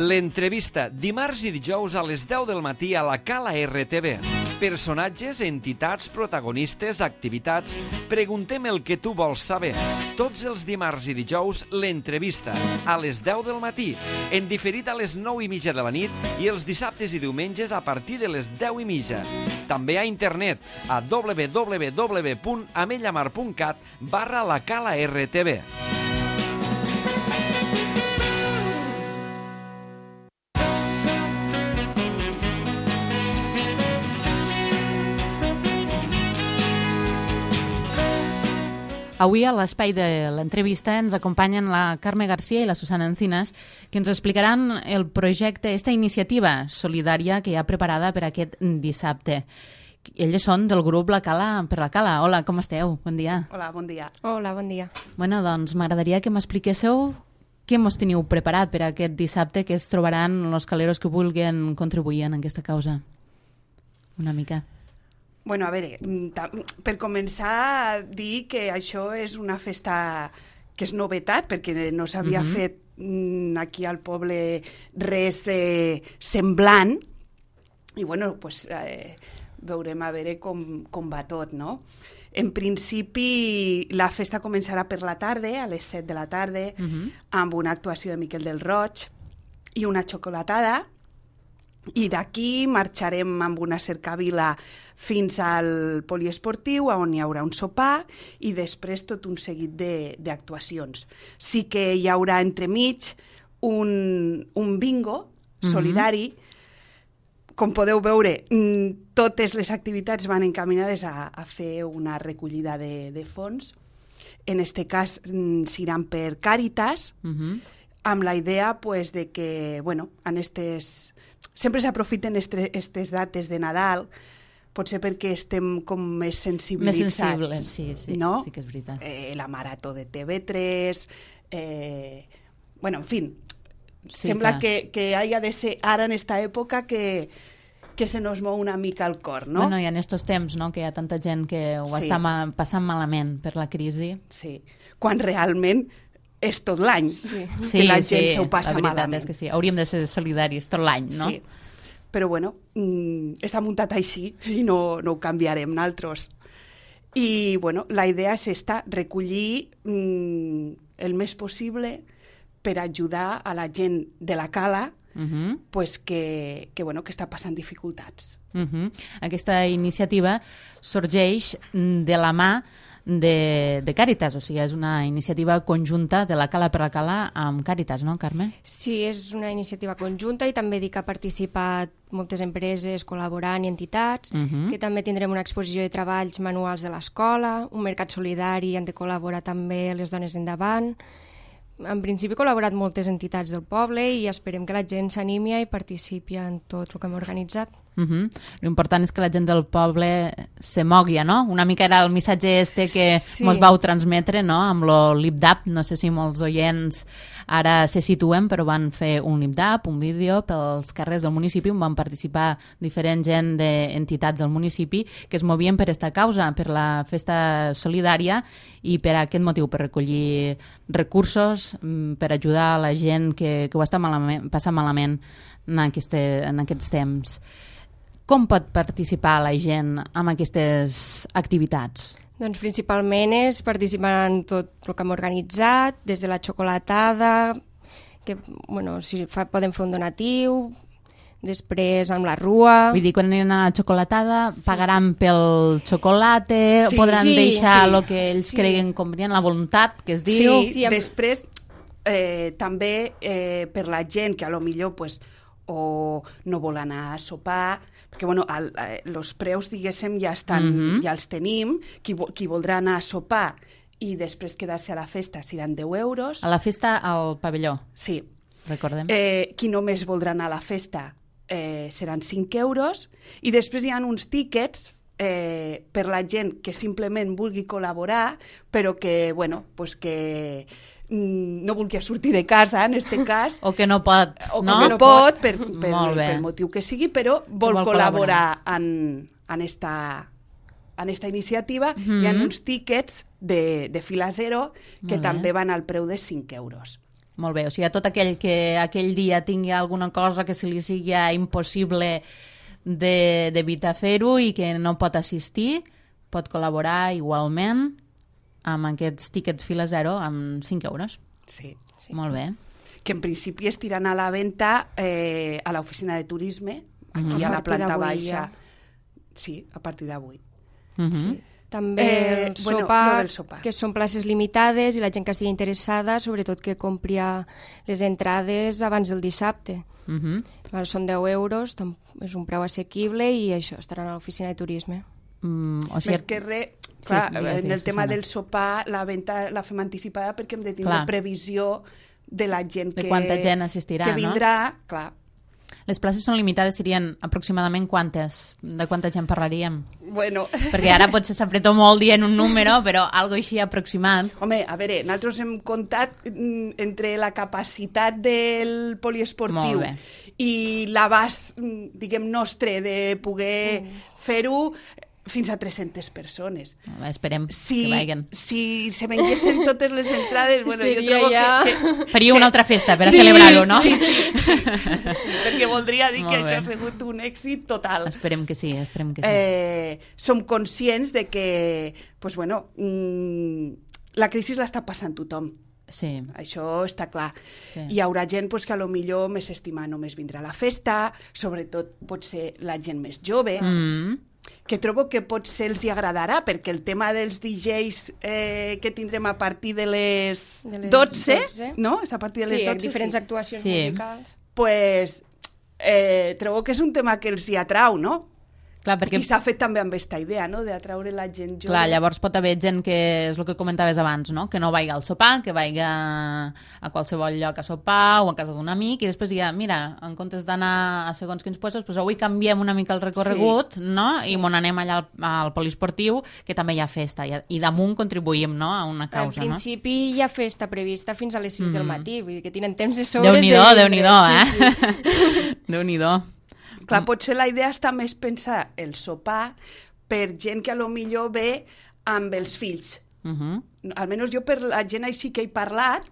L'entrevista, dimarts i dijous a les 10 del matí a la Cala RTV. Personatges, entitats, protagonistes, activitats... Preguntem el que tu vols saber. Tots els dimarts i dijous, l'entrevista, a les 10 del matí, en diferit a les 9:30 de la nit i els dissabtes i diumenges a partir de les 10:30. També a internet, a www.amellamar.cat/la Cala RTV. Avui a l'espai de l'entrevista ens acompanyen la Carme Garcia i la Susana Encinas, que ens explicaran el projecte, esta iniciativa solidària que hi ha preparada per aquest dissabte. Elles són del grup La Cala per la Cala. Hola, com esteu? Bon dia. Hola, bon dia. Hola, bon dia. Bueno, doncs m'agradaria que m'expliquéssiu què mos teniu preparat per aquest dissabte, que es trobaran els caleros que vulguin contribuir en aquesta causa. Una mica. Bueno, a veure, per començar, dir que això és una festa que és novetat, perquè no s'havia fet aquí al poble res semblant, i bueno, pues, veurem a veure com va tot, no? En principi, la festa començarà per la tarda, a les 7 de la tarda, amb una actuació de Miquel del Roig i una xocolatada, i d'aquí marxarem amb una cercavila fins al poliesportiu, on hi haurà un sopar i després tot un seguit d'actuacions. Sí que hi haurà entremig un bingo solidari. Com podeu veure, totes les activitats van encaminades a fer una recollida de fons. En aquest cas s'iran per Càritas, amb la idea pues, de que, bueno, sempre s'aprofiten aquestes dates de Nadal, potser perquè estem com més sensibilitzats. Més sensibles, sí, no? Sí que és veritat. La marató de TV3, bueno, en fi, sí, sembla que haya de ser ara en esta època que se nos mou una mica el cor, no? Bueno, i en estos temps, no?, que hi ha tanta gent que ho està passant malament per la crisi. Sí, quan realment és tot l'any que la gent s'ho passa malament. La veritat és que sí, hauríem de ser solidaris tot l'any, no? Sí, però bueno, està muntat així i no ho canviarem nosaltres. I bueno, la idea és recollir el més possible per ajudar a la gent de la Cala pues que està passant dificultats. Aquesta iniciativa sorgeix de la mà de Càritas, o sigui, és una iniciativa conjunta de la Cala per la Cala amb Càritas, no, Carme? Sí, és una iniciativa conjunta i també dic que ha participat moltes empreses col·laborant i entitats, que també tindrem una exposició de treballs manuals de l'escola, un mercat solidari, han de col·laborar també les dones d'endavant. En principi, he col·laborat moltes entitats del poble i esperem que la gent s'animi i participi en tot el que hem organitzat. L'important és que la gent del poble se mogui, no? Una mica era el missatge que mos vau transmetre, no?, amb lo lip-dap. No sé si molts oients ara se situen, però van fer un lip-dap, un vídeo pels carrers del municipi on van participar diferent gent d'entitats del municipi que es movien per aquesta causa, per la festa solidària i per aquest motiu, per recollir recursos, per ajudar a la gent que ho està passant malament en aquests temps. Com pot participar la gent en aquestes activitats? Doncs principalment és participar en tot el que hem organitzat, des de la xocolatada, que si podem fer un donatiu, després amb la rua... Vull dir, quan aniran a la xocolatada pagaran pel xocolate, podran deixar el que ells creguen convenient, la voluntat que es diu... Sí, després també per la gent que a lo millor o no vol anar a sopar, perquè els preus, diguéssim, ja els tenim. Qui voldrà anar a sopar i després quedar-se a la festa seran 10 euros. A la festa al pavelló. Sí. Recordem. Qui només voldrà anar a la festa seran 5 euros. I després hi ha uns tíquets per la gent que simplement vulgui col·laborar, però que, que no vulgui sortir de casa, en aquest cas. O que no pot, o que no pot, per motiu que sigui, però vol col·laborar en esta iniciativa. Hi ha uns tíquets de fila zero que també van al preu de 5 euros. Molt bé, o sigui, a tot aquell que aquell dia tingui alguna cosa que se li sigui impossible d'evitar fer-ho i que no pot assistir, pot col·laborar igualment amb aquests tíquets fila zero amb 5 euros. Sí. Molt bé. Que en principi estiran a la venda a l'oficina de turisme, aquí a la planta baixa. Sí, a partir d'avui. Sí. També el sopar, que són places limitades i la gent que estigui interessada, sobretot que compri les entrades abans del dissabte. Són 10 euros, és un preu assequible i això, estaran a l'oficina de turisme. Més que res, clar, en el tema del sopar, la venda la fem anticipada perquè hem de tindre previsió de la gent de quanta gent assistirà, que vindrà, clar. Les places són limitades, serien aproximadament quantes? De quanta gent parlaríem? Bueno. Perquè ara potser s'apretó molt dient un número, però algo així aproximat. Home, a veure, nosaltres hem comptat entre la capacitat del poliesportiu i l'abast, diguem, nostre de poder fer-ho fins a 300 persones. Esperem que vagin. Si se venguessin totes les entrades, bueno, jo trobo que... Faria una altra festa per a celebrar-ho, no? Sí, perquè voldria dir que això ha sigut un èxit total. Esperem que sí, esperem que sí. Som conscients de que, pues bueno, la crisi l'està passant tothom. Sí. Això està clar. Sí. Hi haurà gent pues, que a lo millor més estima només vindrà a la festa, sobretot pot ser la gent més jove, que trobo que potser els hi agradarà, perquè el tema dels DJs que tindrem a partir de les 12, no? És a partir de les 12, diferents actuacions musicals. Pues, trobo que és un tema que els hi atrau, no? Clar, perquè... I s'ha fet també amb aquesta idea, no?, d'atraure la gent jove. Clar, llavors pot haver gent que, és el que comentaves abans, no?, que no vagi al sopar, que vagi a qualsevol lloc a sopar o a casa d'un amic, i després diga, mira, en comptes d'anar a segons quins puestos, pues avui canviem una mica el recorregut, no?, i m'on anem allà al poliesportiu, que també hi ha festa, i damunt contribuïm, no?, a una causa, no? En principi hi ha festa prevista fins a les 6 del matí, vull dir que tenen temps de sobres. Déu-n'hi-do, eh? Déu-n'hi-do. Clar, potser la idea està més pensar el sopar per gent que a lo millor ve amb els fills. Almenys jo per la gent així que he parlat,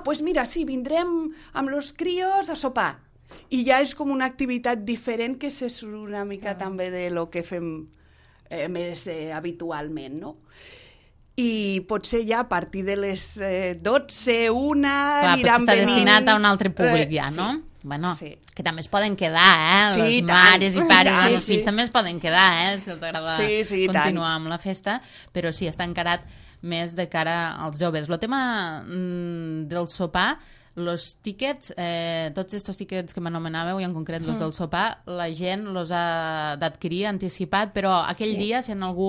pues mira, sí, vindrem amb los crios a sopar. I ja és com una activitat diferent que se surt una mica també de lo que fem més habitualment, no? I potser ja a partir de les 12, 1, clar, aniran venint... Potser està destinat a un altre públic ja, no? Bueno, que també es poden quedar, les mares i pares amb els fills també es poden quedar, si els agrada continuar amb la festa, però sí, està encarat més de cara als joves. El tema del sopar, els tíquets, tots aquests tíquets que m'anomenàveu, i en concret els del sopar, la gent els ha d'adquirir anticipat, però aquell dia, si en algú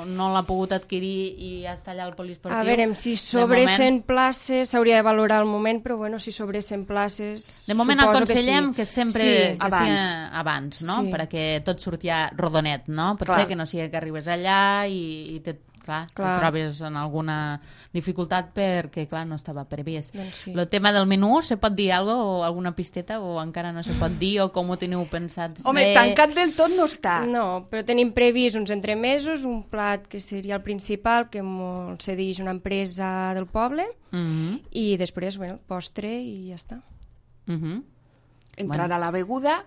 no l'ha pogut adquirir i ja està allà al poliesportiu... A veure, si sobre 100 places s'hauria de valorar al moment, però bueno, si sobre 100 places... De moment aconsellem que sempre abans, no? Perquè tot surti rodonet, no? Potser que no sigui que arribes allà i te trobes en alguna dificultat perquè, clar, no estava previst. El tema del menú, se pot dir alguna cosa o alguna pisteta o encara no se pot dir o com ho teniu pensat fer? Home, tancat del tot no està. No, però tenim previst uns entremesos, un plat que seria el principal, que ens cedeix una empresa del poble, i després, bueno, postre i ja està. Entrarà la beguda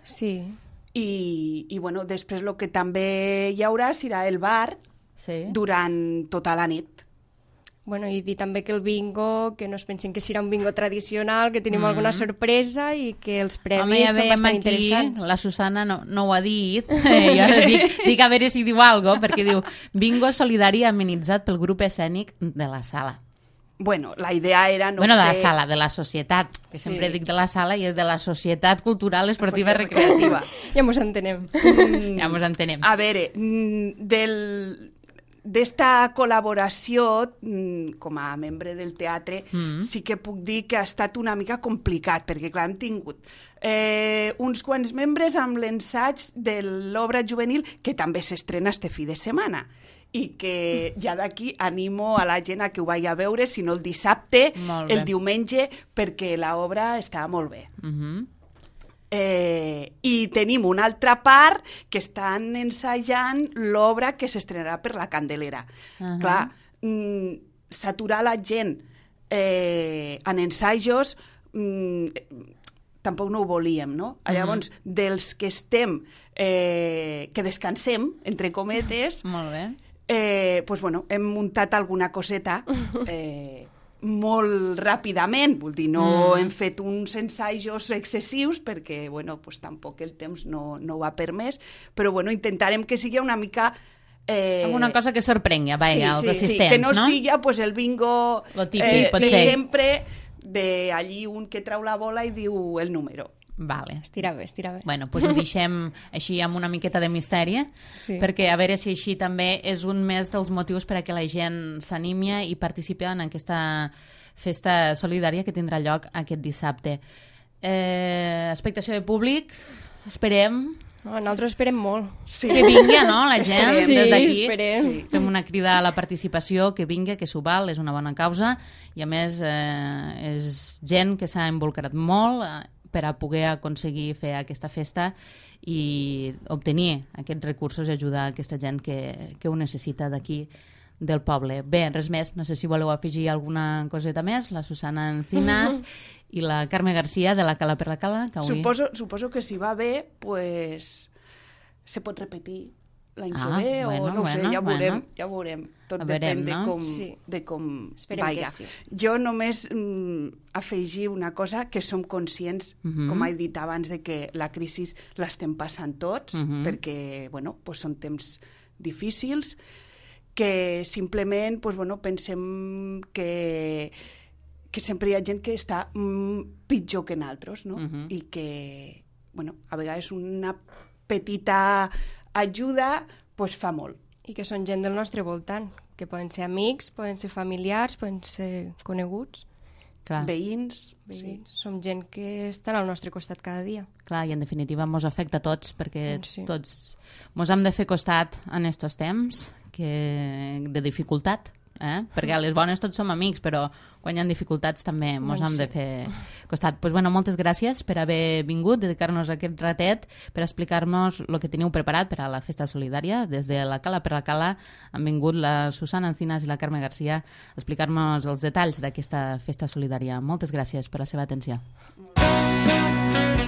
i bueno, després el que també hi haurà serà el bar durant tota la nit. Bueno, i dir també que el bingo, que no es pensin que serà un bingo tradicional, que tenim alguna sorpresa i que els premis són bastant interessants. La Susana no ho ha dit, jo ara dic a veure si diu alguna cosa, perquè diu bingo solidari amenitzat pel grup escènic de la sala. Bueno, la idea era no de la sala, de la societat, que sempre dic de la sala i és de la Societat Cultural Esportiva Recreativa. Ja mos entenem. A veure, d'esta col·laboració com a membre del teatre sí que puc dir que ha estat una mica complicat, perquè clar, hem tingut uns quants membres amb l'ensaig de l'obra juvenil que també s'estrena este fi de setmana i que ja d'aquí animo a la gent a que ho vagi a veure, si no el dissabte, el diumenge, perquè l'obra està molt bé. I tenim una altra part que estan ensajant l'obra que s'estrenarà per la Candelera. Clar, saturar la gent en ensajos tampoc no ho volíem, no? Llavors, dels que estem, que descansem, entre cometes, molt bé. Pues, bueno, hem muntat alguna coseta molt ràpidament, vull dir, no hem fet uns ensajos excessius perquè, bueno, pues, tampoc el temps no ho ha permès, però, bueno, intentarem que sigui una mica... alguna cosa que sorprengui, vaja, als assistents, que no no? sigui pues, el bingo Lo típic, pot ser. sempre d'allí un que trau la bola i diu el número. Vale. Estira bé. Bueno, doncs ho deixem així amb una miqueta de misteri, perquè a veure si així també és un més dels motius per a que la gent s'animi i participi en aquesta festa solidària que tindrà lloc aquest dissabte. Expectació de públic, esperem... Nosaltres esperem molt. Sí. Que vingui, no?, la gent, des d'aquí. Esperem. Fem una crida a la participació, que vingui, que s'ho val, és una bona causa, i a més és gent que s'ha involucrat molt per a poder aconseguir fer aquesta festa i obtenir aquests recursos i ajudar aquesta gent que ho necessita d'aquí del poble. Bé, res més, no sé si voleu afegir alguna coseta més, la Susana Encinas i la Carme Garcia de la Cala per la Cala. Que avui... Suposo que si va bé, pues, se pot repetir l'any que ve, bueno, o no ho sé, ja ho veurem. Tot depèn no? de com Esperem vaya. que sí. Jo només afegir una cosa, que som conscients, com he dit abans, de que la crisi l'estem passant tots, perquè, bueno, pues són temps difícils, que simplement, pues, bueno, pensem que sempre hi ha gent que està pitjor que nosaltres, no? I que, bueno, a vegades una petita ajuda pues, fa molt. I que són gent del nostre voltant, que poden ser amics, poden ser familiars, poden ser coneguts. Clar. Veïns. Sí. Som gent que estan al nostre costat cada dia. Clar, i en definitiva mos afecta a tots, perquè tots mos hem de fer costat en estos temps de dificultat, perquè a les bones tots som amics, però quan hi ha dificultats també mos hem de fer costat. Pues, bueno, moltes gràcies per haver vingut, dedicar-nos a aquest ratet, per explicar-nos el que teniu preparat per a la festa solidària. Des de la Cala per la Cala han vingut la Susana Encinas i la Carme Garcia a explicar-nos els detalls d'aquesta festa solidària. Moltes gràcies per la seva atenció.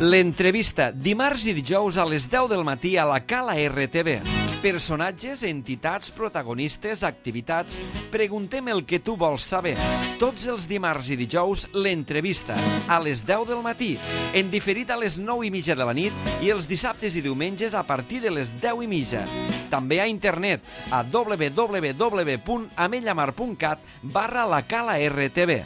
L'entrevista, dimarts i dijous a les 10 del matí a la Cala RTV. Personatges, entitats, protagonistes, activitats... Preguntem el que tu vols saber. Tots els dimarts i dijous, l'entrevista, a les 10 del matí, en diferit a les 9:30 de la nit i els dissabtes i diumenges a partir de les 10:30. També a internet, a www.amellamar.cat/la Cala RTV.